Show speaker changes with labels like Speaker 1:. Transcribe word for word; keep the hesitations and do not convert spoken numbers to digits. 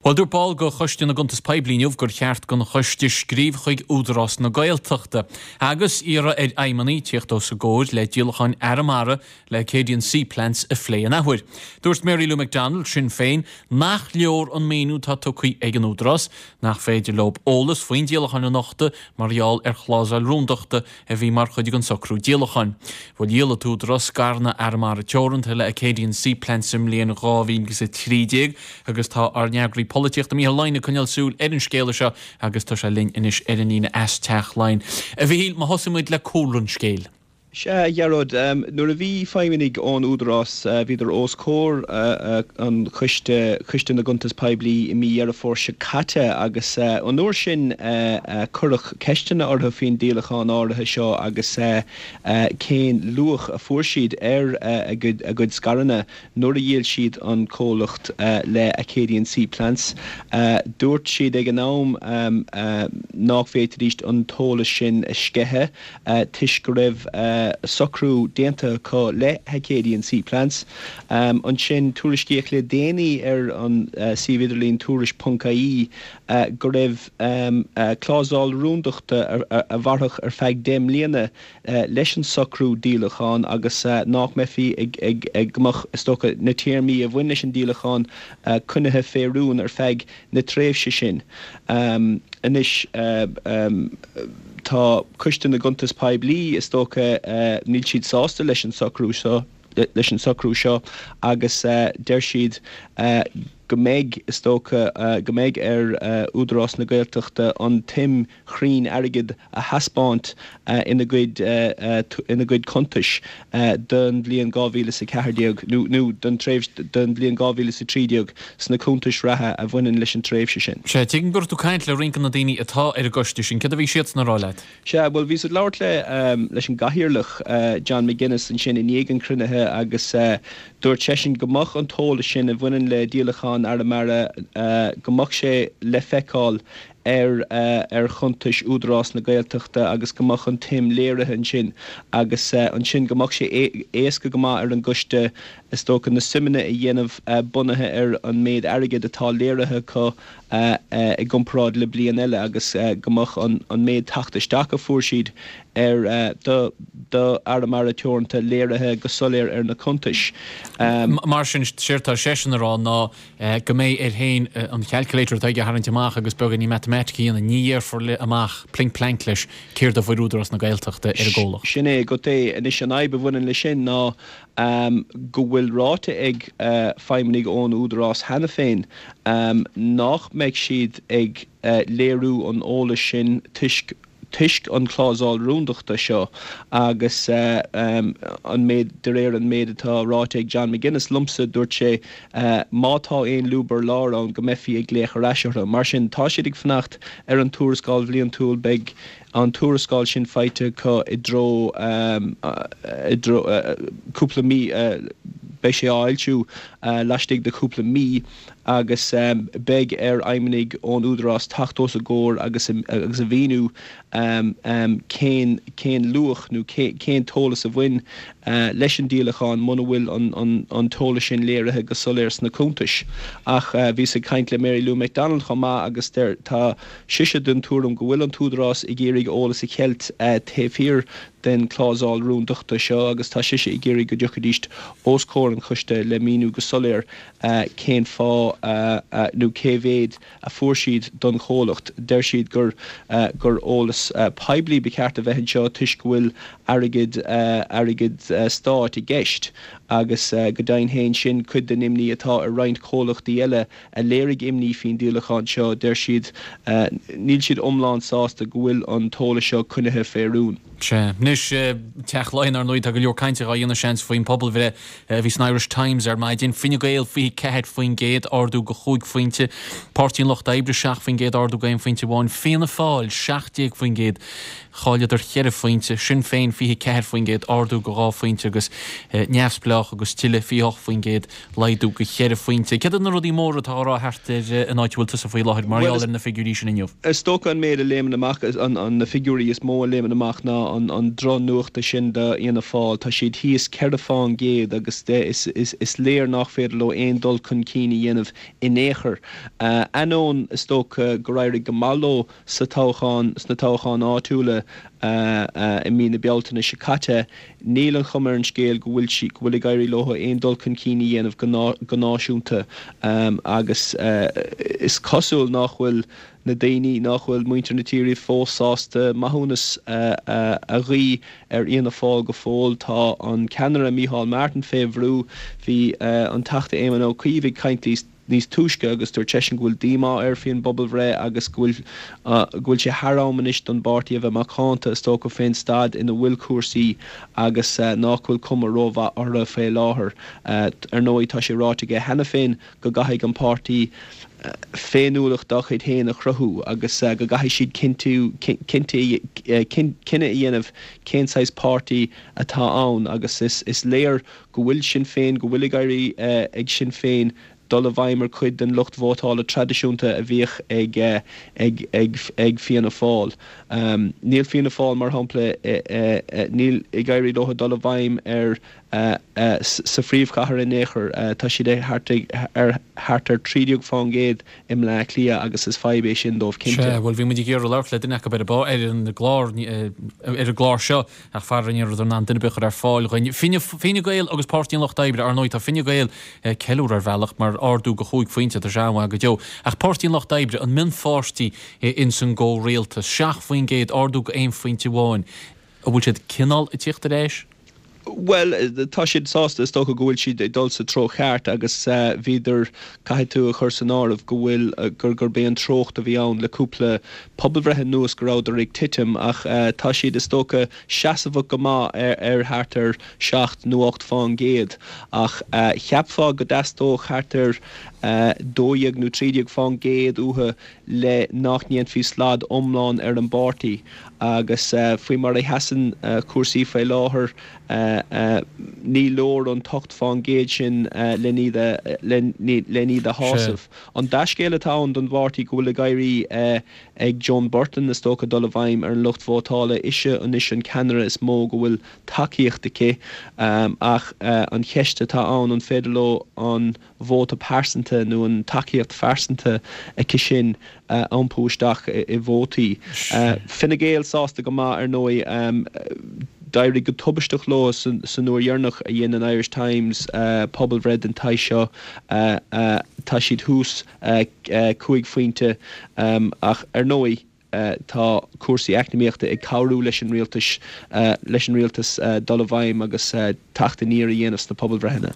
Speaker 1: Bhuel, dúirt ball de Choiste na gCuntas Poiblí inniu gur cheart don choiste scríobh chuig Údarás na Gaeltachta agus iarraidh ar fheidhmeannaigh tíocht os a gcomhair le díolacháin Arramara le Acadian Sea Plants a phlé an athuair. Dúirt Mary Lou McDonald Sinn Féin nach leor an míniú atá tugtha ag an Údarás nach féidir leo eolas faoin díolachán a nochtadh mar gheall ar chlásal rúndachta a bhí mar chuid den socrú díolacháin. Bhuel dhíol an tÚdarás scaireanna Arramara Teoranta le Acadian Sea Plants sa mbliain dhá mhíle agus a trí déag agus tá ár n-eagraí polaitíochta Mícheál Lyon ag coinneáil súil ar an scéala seo agus tá sé linn anois ar an líne as Teach Laighean. A Mhichíl, má thosaímid le cúlra an scéil.
Speaker 2: Sea, a Ghearóid, nuair a bhí feidhmeannaigh ón Údarás, bhíodar os comhair an choiste, Coiste na gCuntas Poiblí i mí Dheireadh Fómhair seo caite agus an uair sin cuireadh ceisteanna orthu faoin díolachán áirithe seo agus cén luach a fuair siad ar a gcuid scaireanna nuair a dhíol siad an comhlacht le Acadian Sea Plants. Dúirt siad ag an am nach bhféadfaidís an t-eolas sin a sceitheadh toisc go raibh socrú déanta acu le hAcadian Sea Plants. Ansin tuairiscíodh le déanaí ar an suíomh idirlín tuairisc ponc ie go raibh clásal rúndachta a mhairfeadh ar feadh deich mbliana leis an socrú díolacháin agus nach mbeifí ag ag go mbeadh, is dócha, na téarmaí a bhain leis an díolachán coinnithe fé rún ar feadh na tréimhse sin. Anois, tá Coiste na gCuntas Poiblí, is dócha, níl siad sásta leis an socrú seo, leis an socrú seo agus deir siad go mbeidh, is dócha, go mbeidh ar Údarás na Gaeltachta an tsuim chruinn airgid a thaispeáint ina gcuid ina gcuid cuntais don bhliain dhá mhíle is a ceathair déag nó nó don tréimhse don bhliain dhá mhíle is a trí déag sna cuntais reatha a bhaineann leis an tréimhse sin.
Speaker 1: Sea, tuigim go raibh tú ag caint le roinnt de na daoine atá ar an gcoiste sin. Céard a bhí siadsan a rá leat?
Speaker 2: Sea, bhuel bhíos ag labhairt le leis an gcathaoirleach John McGuinness ansin i ndiaidh an chruinnithe agus dúirt seisean go mbeadh an t-eolas sin a bhaineann le díolachán Arramara go mbeadh sé le feiceáil ar ar chuntais Údarás na Gaeltachta agus go mbeadh an tsuim léirithe ansin agus ansin go mbeadh sé éasca go maith ar an gcoiste is dócha na suimeanna a dhéanamh bunaithe ar an méid airgid atá léirithe acu i gcomparáid le bliain eile agus go mbeadh an an méid teacht isteach a fuair siad ar do do Arramara Teoranta léirithe go soiléir ar na cuntais.
Speaker 1: Mar sin, séard tá seisean a rá ná go mbeidh air féin an calculator atá aige a tharraingt amach agus beagáinín matamaitic a dhéanamh, ní dhéarfar amach plink plank leis céard a fuair Údarás na Gaeltachta ar an gcomhlacht.
Speaker 2: Sin é agat é. Anois an fhadhb a bhaineann leis sin ná go bhfuil ráite ag feidhmeannaigh ón Údarás cheana féin nach mbeidh siad ag léiriú an eolais sin toisc toisc an clásal rúndachta seo agus an méid, de réir an méid atá ráite ag John McGuinness liomsa, dúirt sé má tá aon lúb ar lár ann go mbeifí ag glaoch ar ais orthu. Mar sin, tá siad ag fanacht ar an tuarascáil bhliantúil, beidh an tuarascáil sin faighte acu i dtreo, i dtreo cúpla mí, beidh sé á fhoilsiú laistigh de chúpla mí agus beidh ar fheidhmeannaigh ón Údarás teacht os a gcomhair agus agus a mhíniú cén cén luach nó cén t-eolas a bhain leis an díolachán muna bhfuil an an an t-eolas sin léirithe go soiléir sna cuntais. Ach bhíos ag caint le Mary Lou McDonald chomh maith agus deir tá sise den tuairim go bhfuil an tÚdarás ag iarraidh eolas a cheilt taobh thiar den chlásal rúndachta seo agus tá sise ag iarraidh go dtiocfaidís os comhair an choiste le míniú go soiléir cén fáth nó cé mhéad a fuair siad don chomhlacht. Deir siad gur gur eolas poiblí ba cheart a bheith anseo toisc go bhfuil airgead airgead stáit i gceist agus go deimhin féin sin cuid den imní atá ar roinnt comhlachtaí eile a léirigh imní faoin díolachán seo. Deir siad níl siad iomlán sásta go bhfuil an t-eolas seo coinnithe fé rún.
Speaker 1: Sea. Anois, Teach Laighean, ar ndóigh, tá go leor cainte á dhéanamh, seans, faoin bpobalbhreith a bhí san Irish Times ar maidin. Fine Gael fiche ceathair faoin gcéad, ardú go chúig phointe. Páirtí an Lucht Oibre seacht faoin gcéad, ardú go aon phointe amháin. Fianna Fáil seacht déag faoin gcéad, chailleadar cheithre phointe. Sinn Féin fiche ceathair faoin gcéad, ardú go dhá phointe agus Neamhspleách agus tuilleadh fiche hocht faoin gcéad, laghdú go cheithre phointe. Céard iad na rudaí móra atá á rá thart ar an áit a bhfuil tusa faoi láthair mar gheall ar na figiúirí sin inniu?
Speaker 2: Is dócha an méid a léimeann amach, na figiúirí is mó a léimeann amach ná an drochnuacht sin do Fhianna Fáil. Tá siad thíos ceithre fán gcéad agus is léir nach féidir leo aon dul chun cinn a dhéanamh in aon chor. Ainneoin is dócha gur éirigh go maith leo sa toghchán, sna toghcháin áitiúla i mí na Bealtaine seo caite, níl an chuma ar an scéal go bhfuil sí, go bhfuil ag éirí leo aon dul chun cinn a dhéanamh go náisiúnta agus is cosúil nach bhfuil na daoine, nach bhfuil muintir na tíre fós sásta maithiúnas a ghuí ar Fhianna Fáil go fóill. Tá an ceannaire Micheál Martin fé bhrú. Bhí an Teachta Éamon Ó Cuív ag caint níos túisce agus dúirt seisean go bhfuil díomá air faoin bpobalbhreith agus go bhfuil go bhfuil sé thar am anois don bpáirtí a bheith macánta is dócha fén staid ina bhfuil cúrsaí agus nach bhfuil cuma rómhaith orthu fé láthair. Ar ndóigh tá sé ráite aige cheana féin go gcaithfidh an páirtí féiniúlacht dá chuid féin a chruthú agus go gcaithfidh siad cinntiú cinneadh a dhéanamh cén saghas páirtí atá ann agus is léir go bhfuil Sinn Féin, go bhfuil ag éirí ag Sinn Féin dul i bhfeidhm ar chuid den lucht vótála traidisiúnta a bhíodh ag ag ag ag Fianna Fáil. Níl Fianna Fáil, mar shampla, níl ag éirí leo dul i bhfeidhm ar sa phríomhchathair in aon chor. Tá siad thart ar thart ar trí déag fán gcéad i mBleá Cliath agus is fadhb é sin dóibh cinnte.
Speaker 1: Sea, bhuel bhí muid ag iarraidh labhairt le duine acu ar ar an gclár ar an gclár seo ach faraor ní rabhadar in ann duine ar bith a chur ar fáil dhúinn. Fine Gael agus Páirtí an Lucht Oibre, ar ndóigh tá Fine Gael ag ceiliúradh ar bhealach mar ardú go chúig phointe, tá sé an-mhaith go deo. Ach Páirtí an Lucht Oibre, an mionpháirtí ins an gcomhrialtas, seacht faoin gcéad, ardú go aon phointe amháin. An bhfuil siad cineál ag tíocht ar ais?
Speaker 2: Bhuel, tá siad sásta, is dócha go bhfuil siad ag dul sa treo cheart agus bhíodar, caithfidh tú a chur san áireamh go bhfuil, gur, gurb é an treocht a bhí ann le cúpla pobalbhreith anuas go rabhadar ag titim ach tá siad, is dócha, seasamhach go maith ar, ar thart ar seacht nó ocht fán gcéad ach cheapfá go dteastódh thart ar dó dhéag nó trí déag fán gcéad uathu le nach ndéanfaí slad iomlán ar an bpáirtí agus faoi mar a sheasann cúrsaí faoi láthair ní leor an t-ocht fán gcéad sin len iad a shásamh. An dea-scéal atá ann don bpáirtí go bhfuil ag éirí ag Joan Burton is dócha dul i bhfeidhm ar an lucht vótála. Ise anois an ceannaire is mó go bhfuil tacaíocht aici ach an cheist atá ann an féidir leo an vóta pearsanta nó an tacaíocht phearsanta aici sin a iompú isteach i vótaí. Fine Gael sásta go maith ar ndóigh. D'éirigh go tubaisteach leo san uair dheireanach a dhein an Irish Times pobalbhreith den tsaghas seo. Tá siad thuas cúig phointe ach ar ndóigh tá cúrsaí eacnamaíochta ag cabhrú leis an rialtas leis an rialtas dul i bhfeidhm agus teacht aniar a dhéanamh sna pobalbhreitheanna.